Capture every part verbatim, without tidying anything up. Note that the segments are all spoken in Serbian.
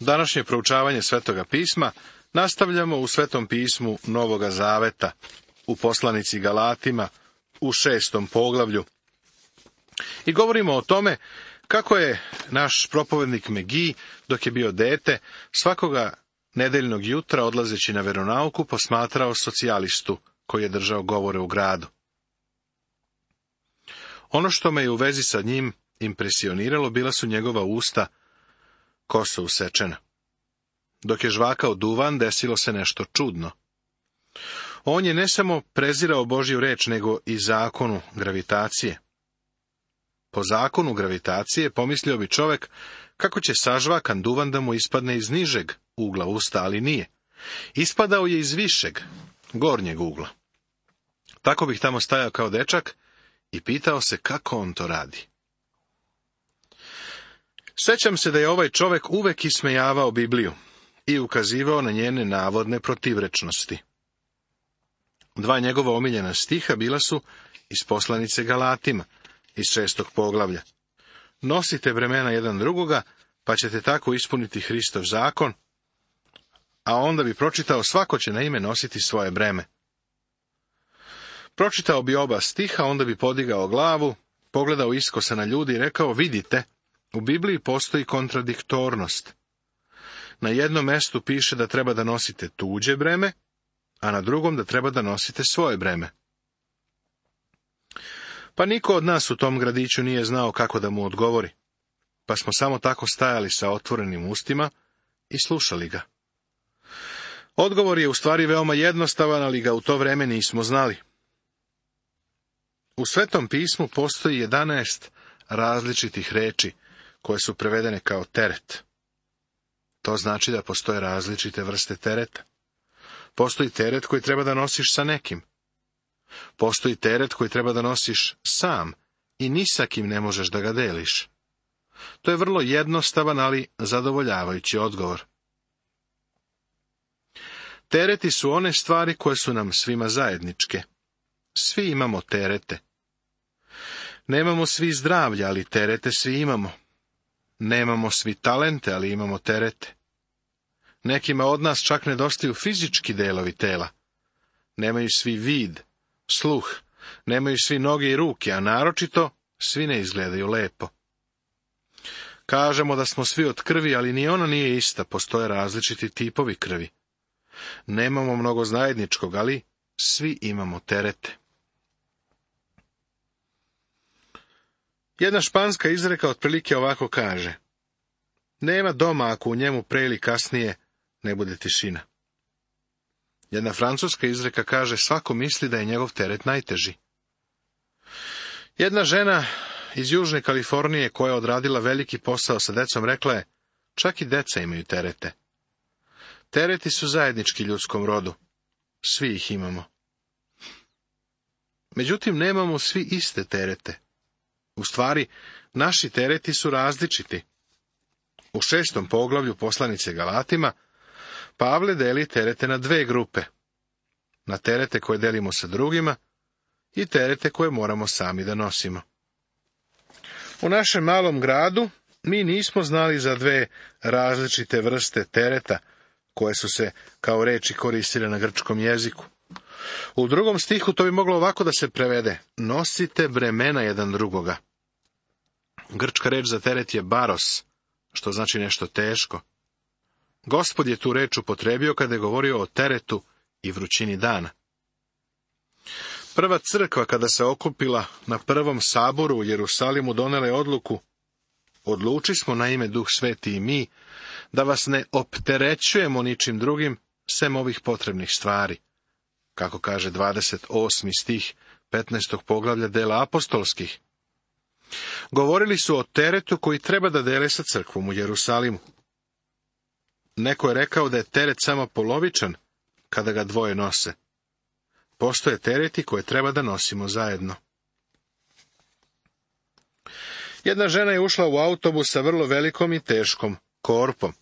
Današnje proučavanje Svetoga pisma nastavljamo u Svetom pismu Novoga Zaveta, u poslanici Galatima, u šestom poglavlju. I govorimo o tome kako je naš propovednik Megi, dok je bio dete, svakoga nedeljnog jutra odlazeći na veronauku posmatrao socijalistu koji je držao govore u gradu. Ono što me je u vezi sa njim impresioniralo bila su njegova usta, kosa usečena. Dok je žvakao duvan, desilo se nešto čudno. On je ne samo prezirao Božju reč, nego i zakonu gravitacije. Po zakonu gravitacije pomislio bi čovek kako će sažvakan duvan da mu ispadne iz nižeg ugla usta, ali nije. Ispadao je iz višeg, gornjeg ugla. Tako bih tamo stajao kao dečak i pitao se kako on to radi. Sjećam se da je ovaj čovek uvek ismejavao Bibliju i ukazivao na njene navodne protivrečnosti. Dva njegova omiljena stiha bila su iz poslanice Galatima, iz šestog poglavlja. Nosite bremena jedan drugoga, pa ćete tako ispuniti Hristov zakon, a onda bi pročitao svako će na ime nositi svoje breme. Pročitao bi oba stiha, onda bi podigao glavu, pogledao iskosa na ljudi i rekao, vidite, u Bibliji postoji kontradiktornost. Na jednom mestu piše da treba da nosite tuđe breme, a na drugom da treba da nosite svoje breme. Pa niko od nas u tom gradiću nije znao kako da mu odgovori, pa smo samo tako stajali sa otvorenim ustima i slušali ga. Odgovor je u stvari veoma jednostavan, ali ga u to vreme nismo znali. U Svetom pismu postoji jedanaest različitih reči koje su prevedene kao teret. To znači da postoje različite vrste tereta. Postoji teret koji treba da nosiš sa nekim. Postoji teret koji treba da nosiš sam i ni sa kim ne možeš da ga deliš. To je vrlo jednostavan, ali zadovoljavajući odgovor. Tereti su one stvari koje su nam svima zajedničke. Svi imamo terete. Nemamo svi zdravlja, ali terete svi imamo. Nemamo svi talente, ali imamo terete. Nekima od nas čak nedostaju fizički delovi tela. Nemaju svi vid, sluh, nemaju svi noge i ruke, a naročito svi ne izgledaju lepo. Kažemo da smo svi od krvi, ali ni ona nije ista, postoje različiti tipovi krvi. Nemamo mnogo zajedničkog, ali svi imamo terete. Jedna španska izreka otprilike ovako kaže: nema doma ako u njemu pre ili kasnije ne bude tišina. Jedna francuska izreka kaže: svako misli da je njegov teret najteži. Jedna žena iz Južne Kalifornije koja je odradila veliki posao sa decom rekla je: čak i deca imaju terete. Tereti su zajednički ljudskom rodu. Svi ih imamo. Međutim, nemamo svi iste terete. U stvari, naši tereti su različiti. U šestom poglavlju poslanice Galatima Pavle deli terete na dve grupe. Na terete koje delimo sa drugima i terete koje moramo sami da nosimo. U našem malom gradu mi nismo znali za dve različite vrste tereta koje su se kao reči koristile na grčkom jeziku. U drugom stihu to bi moglo ovako da se prevede: nosite bremena jedan drugoga. Grčka reč za teret je baros, što znači nešto teško. Gospod je tu reč upotrebio kada je govorio o teretu i vrućini dana. Prva crkva kada se okupila na prvom saboru u Jerusalimu donela je odluku: odluči smo na ime Duh Sveti i mi da vas ne opterećujemo ničim drugim sem ovih potrebnih stvari, kako kaže dvadeset osmi stih petnaestog poglavlja dela apostolskih. Govorili su o teretu koji treba da dele sa crkvom u Jerusalimu. Neko je rekao da je teret samo polovičan kada ga dvoje nose. Postoje tereti koje treba da nosimo zajedno. Jedna žena je ušla u autobus sa vrlo velikom i teškom korpom.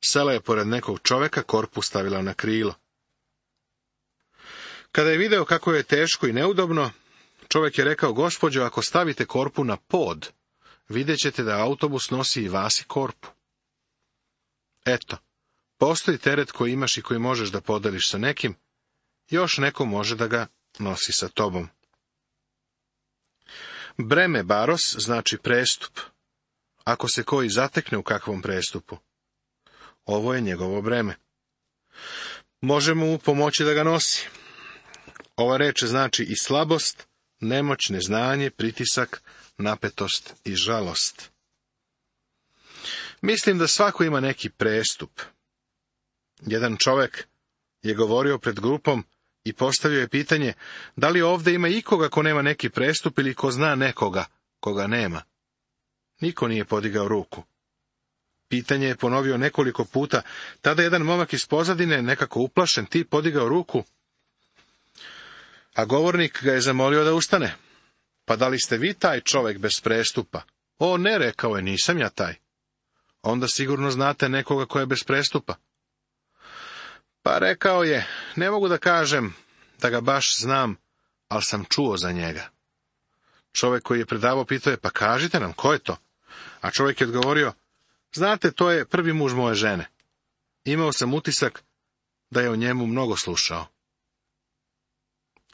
Sela je pored nekog čoveka, korpu stavila na krilo. Kada je video kako je teško i neudobno, čovjek je rekao: gospođo, ako stavite korpu na pod, vidjet ćete da autobus nosi i vas i korpu. Eto, postoji teret koji imaš i koji možeš da podeliš sa nekim, još neko može da ga nosi sa tobom. Breme baros znači prestup. Ako se koji zatekne u kakvom prestupu, ovo je njegovo breme. Možemo mu pomoći da ga nosi. Ova reč znači i slabost, nemoć, neznanje, pritisak, napetost i žalost. Mislim da svako ima neki prestup. Jedan čovjek je govorio pred grupom i postavio je pitanje, da li ovdje ima ikoga ko nema neki prestup ili ko zna nekoga koga nema. Niko nije podigao ruku. Pitanje je ponovio nekoliko puta, tada jedan momak iz pozadine, nekako uplašen, ti podigao ruku, a govornik ga je zamolio da ustane. Pa da li ste vi taj čovjek bez prestupa? O ne, rekao je, nisam ja taj. Onda sigurno znate nekoga ko je bez prestupa. Pa rekao je, ne mogu da kažem da ga baš znam, ali sam čuo za njega. Čovjek koji je predavao pitao je, pa kažite nam, ko je to? A čovjek je odgovorio, znate, to je prvi muž moje žene. Imao sam utisak da je o njemu mnogo slušao.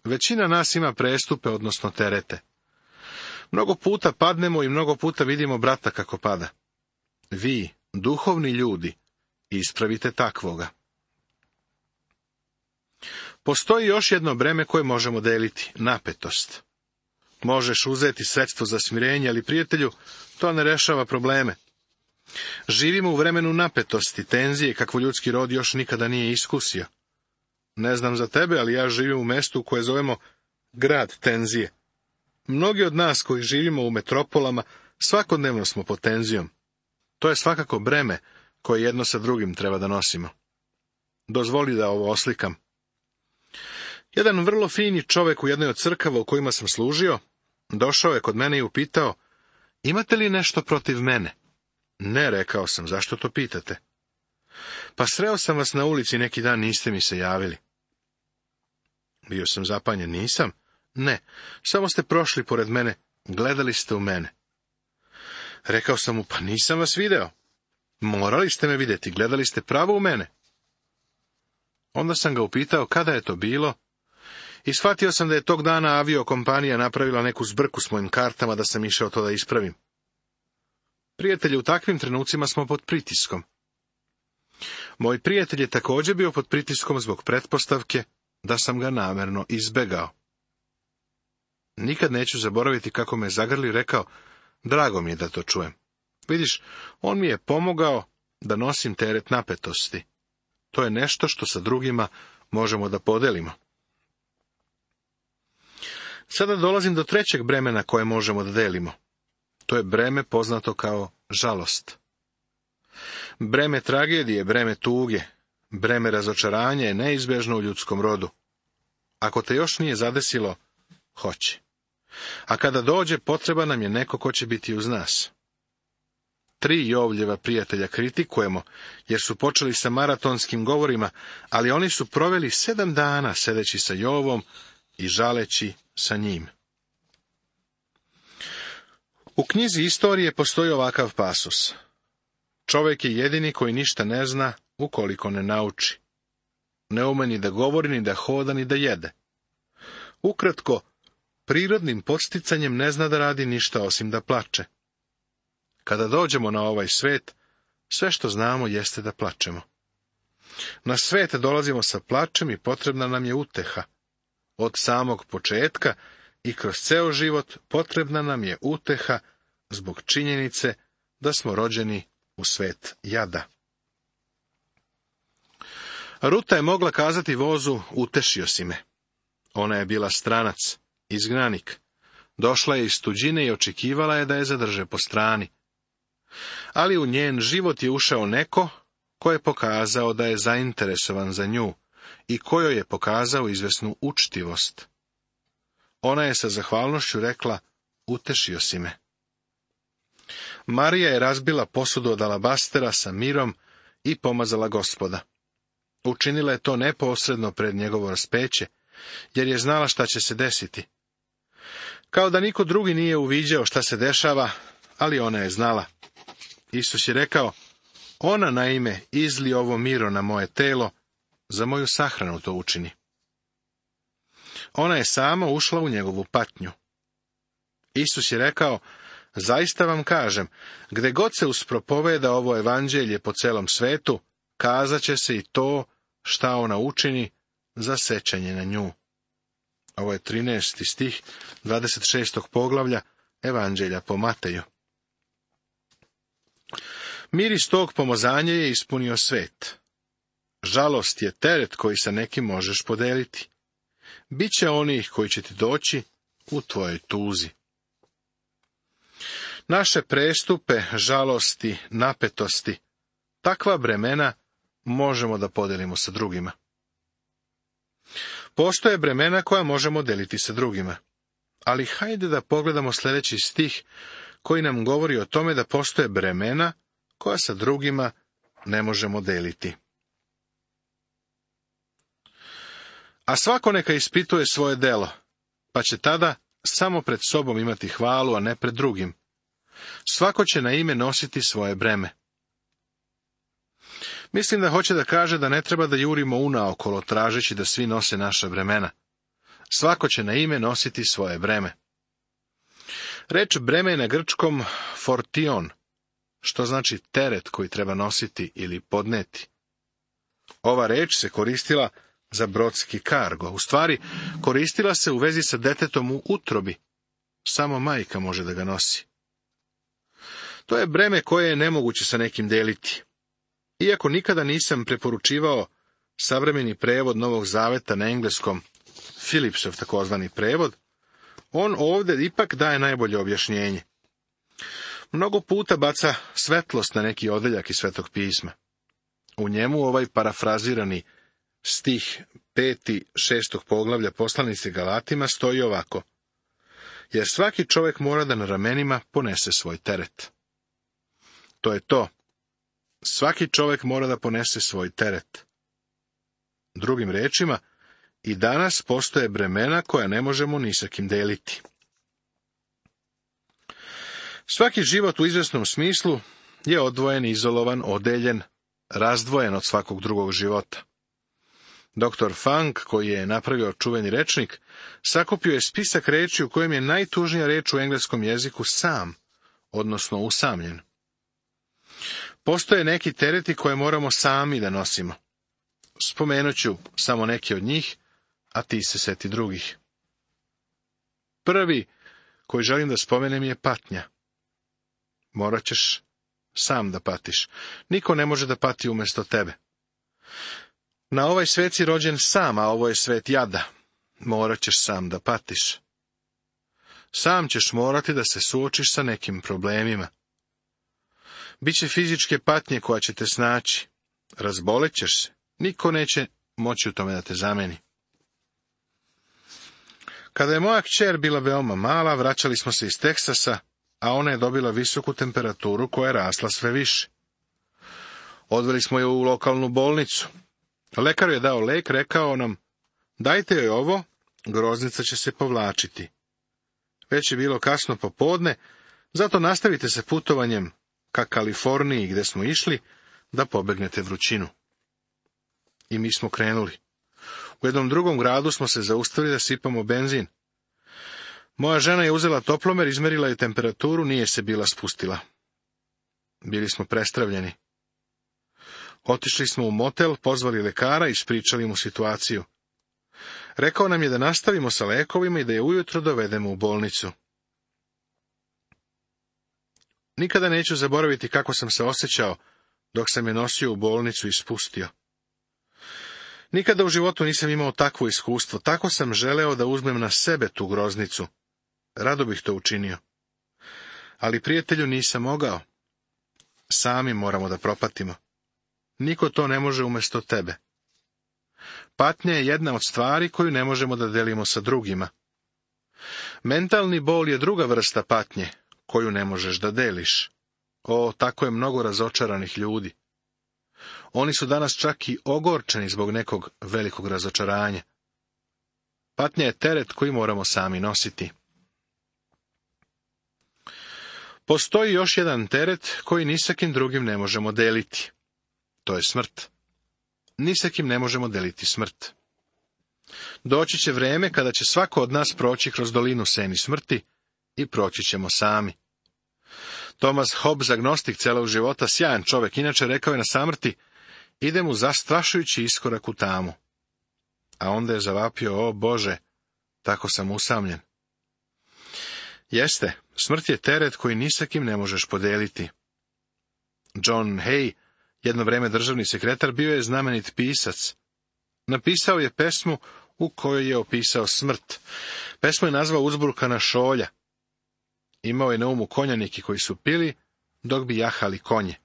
Većina nas ima prestupe, odnosno terete. Mnogo puta padnemo i mnogo puta vidimo brata kako pada. Vi, duhovni ljudi, ispravite takvoga. Postoji još jedno breme koje možemo deliti, napetost. Možeš uzeti sredstvo za smirenje, ali prijatelju, to ne rešava probleme. Živimo u vremenu napetosti, tenzije, kakvo ljudski rod još nikada nije iskusio. Ne znam za tebe, ali ja živim u mestu koje zovemo grad tenzije. Mnogi od nas koji živimo u metropolama, svakodnevno smo pod tenzijom. To je svakako breme koje jedno sa drugim treba da nosimo. Dozvoli da ovo oslikam. Jedan vrlo fini čovjek u jednoj od crkava u kojima sam služio, došao je kod mene i upitao, imate li nešto protiv mene? Ne, rekao sam, zašto to pitate? Pa sreo sam vas na ulici neki dan, niste mi se javili. Bio sam zapanjen, nisam? Ne, samo ste prošli pored mene, gledali ste u mene. Rekao sam mu, pa nisam vas video. Morali ste me vidjeti, gledali ste pravo u mene. Onda sam ga upitao kada je to bilo i shvatio sam da je tog dana aviokompanija napravila neku zbrku s mojim kartama da sam išao to da ispravim. Prijatelji, u takvim trenucima smo pod pritiskom. Moj prijatelj je također bio pod pritiskom zbog pretpostavke da sam ga namjerno izbegao. Nikad neću zaboraviti kako me zagrli i rekao, drago mi je da to čujem. Vidiš, on mi je pomogao da nosim teret napetosti. To je nešto što sa drugima možemo da podelimo. Sada dolazim do trećeg bremena koje možemo da delimo. To je breme poznato kao žalost. Breme tragedije, breme tuge, breme razočaranja je neizbježno u ljudskom rodu. Ako te još nije zadesilo, hoće. A kada dođe, potreba nam je neko ko će biti uz nas. Tri Jovljeva prijatelja kritikujemo, jer su počeli sa maratonskim govorima, ali oni su proveli sedam dana sedeći sa Jovom i žaleći sa njim. U knjizi istorije postoji ovakav pasus. Čovjek je jedini koji ništa ne zna ukoliko ne nauči. Ne ume ni da govori, ni da hoda, ni da jede. Ukratko, prirodnim podsticanjem ne zna da radi ništa osim da plače. Kada dođemo na ovaj svet, sve što znamo jeste da plačemo. Na svet dolazimo sa plačem i potrebna nam je uteha. Od samog početka i kroz ceo život potrebna nam je uteha zbog činjenice da smo rođeni u svet jada. Ruta je mogla kazati vozu, utešio si me. Ona je bila stranac, izgnanik. Došla je iz tuđine i očekivala je da je zadrže po strani. Ali u njen život je ušao neko ko je pokazao da je zainteresovan za nju i kojoj je pokazao izvesnu učtivost. Ona je sa zahvalnošću rekla, utešio si me. Marija je razbila posudu od alabastera sa mirom i pomazala Gospoda. Učinila je to neposredno pred njegovo raspeće, jer je znala šta će se desiti. Kao da niko drugi nije uviđao šta se dešava, ali ona je znala. Isus je rekao, Ona, naime, izli ovo miro na moje telo, za moju sahranu to učini. Ona je sama ušla u njegovu patnju. Isus je rekao, zaista vam kažem, gde god se uspropoveda ovo evanđelje po celom svetu, kazat će se i to šta ona učini za sećanje na nju. Ovo je trinaesti stih dvadeset šestog poglavlja Evanđelja po Mateju. Miris tog pomazanja je ispunio svet. Žalost je teret koji sa nekim možeš podeliti. Biće onih koji će ti doći u tvojoj tuzi. Naše prestupe, žalosti, napetosti, takva bremena možemo da podelimo sa drugima. Postoje bremena koja možemo deliti sa drugima. Ali hajde da pogledamo sljedeći stih koji nam govori o tome da postoje bremena koja sa drugima ne možemo deliti. A svako neka ispituje svoje delo, pa će tada samo pred sobom imati hvalu, a ne pred drugim. Svako će na ime nositi svoje breme. Mislim da hoće da kaže da ne treba da jurimo unaokolo tražeći da svi nose naša bremena. Svako će na ime nositi svoje breme. Reč breme je na grčkom fortion, što znači teret koji treba nositi ili podneti. Ova reč se koristila za brodski kargo. U stvari, koristila se u vezi sa detetom u utrobi. Samo majka može da ga nosi. To je breme koje je nemoguće sa nekim deliti. Iako nikada nisam preporučivao savremeni prevod Novog Zaveta na engleskom, Philipsov takozvani prevod, on ovdje ipak daje najbolje objašnjenje. Mnogo puta baca svetlost na neki odeljak iz Svetog pisma. U njemu ovaj parafrazirani stih peti šestog poglavlja poslanice Galatima stoji ovako: jer svaki čovjek mora da na ramenima ponese svoj teret. To je to. Svaki čovjek mora da ponese svoj teret. Drugim rečima, i danas postoje bremena koja ne možemo ni sa kim deliti. Svaki život u izvjesnom smislu je odvojen, izolovan, odeljen, razdvojen od svakog drugog života. Doktor Funk, koji je napravio čuveni rečnik, sakupio je spisak reči u kojem je najtužnija reč u engleskom jeziku sam, odnosno usamljen. Postoje neki tereti koje moramo sami da nosimo. Spomenut ću samo neke od njih, a ti se seti drugih. Prvi koji želim da spomenem je patnja. Morat ćeš sam da patiš. Niko ne može da pati umjesto tebe. Na ovaj svet si rođen sam, a ovo je svet jada. Morat ćeš sam da patiš. Sam ćeš morati da se suočiš sa nekim problemima. Biće fizičke patnje koja će te snaći. Razbolećeš se. Niko neće moći u tome da te zameni. Kada je moja kćer bila veoma mala, vraćali smo se iz Teksasa, a ona je dobila visoku temperaturu koja je rasla sve više. Odveli smo je u lokalnu bolnicu. Lekar je dao lek, rekao nam, dajte joj ovo, groznica će se povlačiti. Već je bilo kasno popodne, zato nastavite se putovanjem ka Kaliforniji gde smo išli, da pobegnete vrućinu. I mi smo krenuli. U jednom drugom gradu smo se zaustavili da sipamo benzin. Moja žena je uzela toplomer, izmerila je temperaturu, nije se bila spustila. Bili smo prestravljeni. Otišli smo u motel, pozvali lekara i ispričali mu situaciju. Rekao nam je da nastavimo sa lekovima i da je ujutro dovedemo u bolnicu. Nikada neću zaboraviti kako sam se osjećao dok sam je nosio u bolnicu i spustio. Nikada u životu nisam imao takvo iskustvo, tako sam želeo da uzmem na sebe tu groznicu. Rado bih to učinio. Ali prijatelju nisam mogao. Sami moramo da propatimo. Niko to ne može umjesto tebe. Patnja je jedna od stvari koju ne možemo da delimo sa drugima. Mentalni bol je druga vrsta patnje, koju ne možeš da deliš. O, tako je mnogo razočaranih ljudi. Oni su danas čak i ogorčeni zbog nekog velikog razočaranja. Patnja je teret koji moramo sami nositi. Postoji još jedan teret koji ni sa kim drugim ne možemo deliti. To je smrt. Ni sa kim ne možemo deliti smrt. Doći će vreme kada će svako od nas proći kroz dolinu seni smrti i proći ćemo sami. Thomas Hobbes, agnostik celog života, sjajan čovjek, inače rekao je na samrti: ide mu zastrašujući iskorak u tamu. A onda je zavapio: o Bože, tako sam usamljen. Jeste, smrt je teret koji ni sa kim ne možeš podeliti. John Hay, jedno vrijeme državni sekretar, bio je znamenit pisac. Napisao je pesmu u kojoj je opisao smrt. Pesmu je nazvao Uzburkana šolja. Imao je na umu konjaniki koji su pili dok bi jahali konje.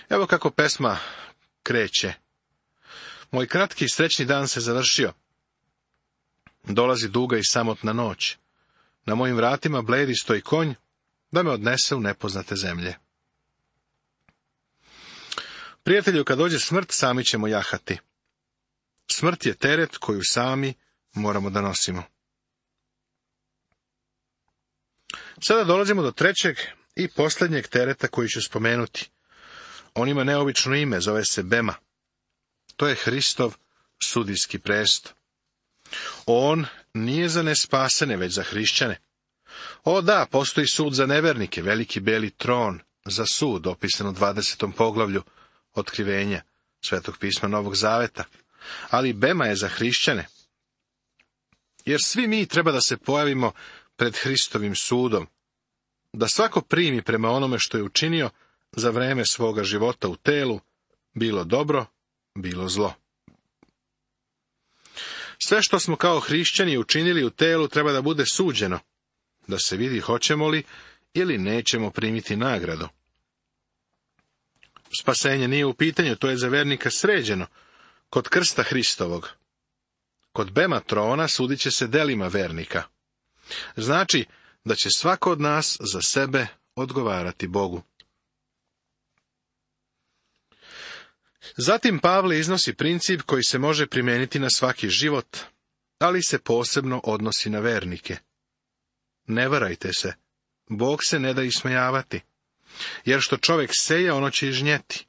Evo kako pesma kreće. Moj kratki i srećni dan se završio. Dolazi duga i samotna noć. Na mojim vratima bledi stoji konj da me odnese u nepoznate zemlje. Prijatelju, kad dođe smrt, sami ćemo jahati. Smrt je teret koju sami moramo da nosimo. Sada dolazimo do trećeg i posljednjeg tereta koji ću spomenuti. On ima neobično ime, zove se Bema. To je Hristov sudijski presto. On nije za nespasene, već za hrišćane. O da, postoji sud za nevernike, veliki beli tron za sud, opisan u dvadesetom poglavlju Otkrivenja Svetog pisma Novog Zaveta. Ali Bema je za hrišćane. Jer svi mi treba da se pojavimo pred Hristovim sudom, da svako primi prema onome što je učinio za vreme svoga života u telu, bilo dobro, bilo zlo. Sve što smo kao hrišćani učinili u telu treba da bude suđeno, da se vidi hoćemo li ili nećemo primiti nagradu. Spasenje nije u pitanju, to je za vernika sređeno, kod krsta Hristovog. Kod Bema trona sudit će se delima vernika. Znači da će svako od nas za sebe odgovarati Bogu. Zatim Pavle iznosi princip koji se može primijeniti na svaki život, ali se posebno odnosi na vernike. Ne varajte se, Bog se ne da ismejavati, jer što čovjek seje, ono će i žnjeti.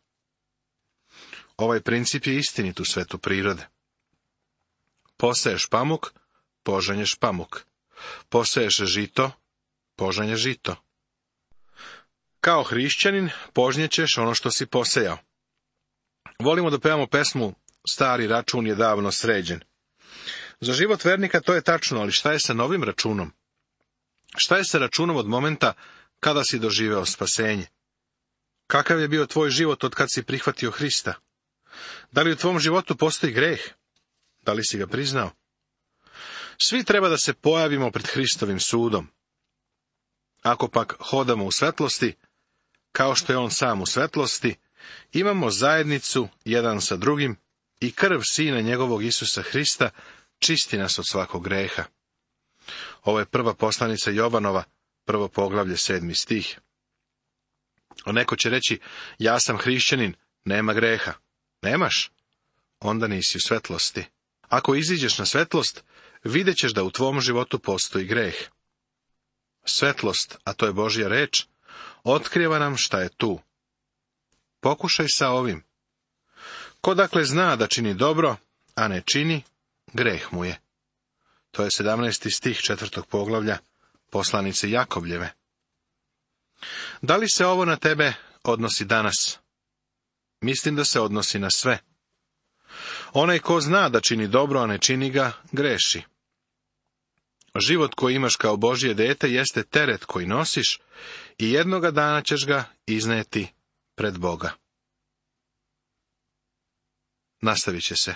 Ovaj princip je istinit u svetu prirode. Poseješ pamuk, požanješ pamuk. Poseješ žito, požanješ žito. Kao hrišćanin požnjećeš ono što si posejao. Volimo da pevamo pesmu Stari račun je davno sređen. Za život vernika to je tačno, ali šta je sa novim računom? Šta je sa računom od momenta kada si doživeo spasenje? Kakav je bio tvoj život od kad si prihvatio Hrista? Da li u tvom životu postoji greh? Da li si ga priznao? Svi treba da se pojavimo pred Hristovim sudom. Ako pak hodamo u svetlosti, kao što je on sam u svetlosti, imamo zajednicu jedan sa drugim i krv Sina njegovog Isusa Hrista čisti nas od svakog greha. Ovo je prva poslanica Jovanova, prvo poglavlje, sedmi stih. A neko će reći: ja sam hrišćanin, nema greha. Nemaš? Onda nisi u svetlosti. Ako iziđeš na svetlost, vidjet ćeš da u tvom životu postoji greh. Svetlost, a to je Božja reč, otkriva nam šta je tu. Pokušaj sa ovim. Ko dakle zna da čini dobro, a ne čini, greh mu je. To je sedamnaesti stih četvrtog poglavlja poslanice Jakovljeve. Da li se ovo na tebe odnosi danas? Mislim da se odnosi na sve. Onaj ko zna da čini dobro, a ne čini ga, greši. Život koji imaš kao Božje dete jeste teret koji nosiš i jednoga dana ćeš ga izneti pred Boga. Nastavit će se.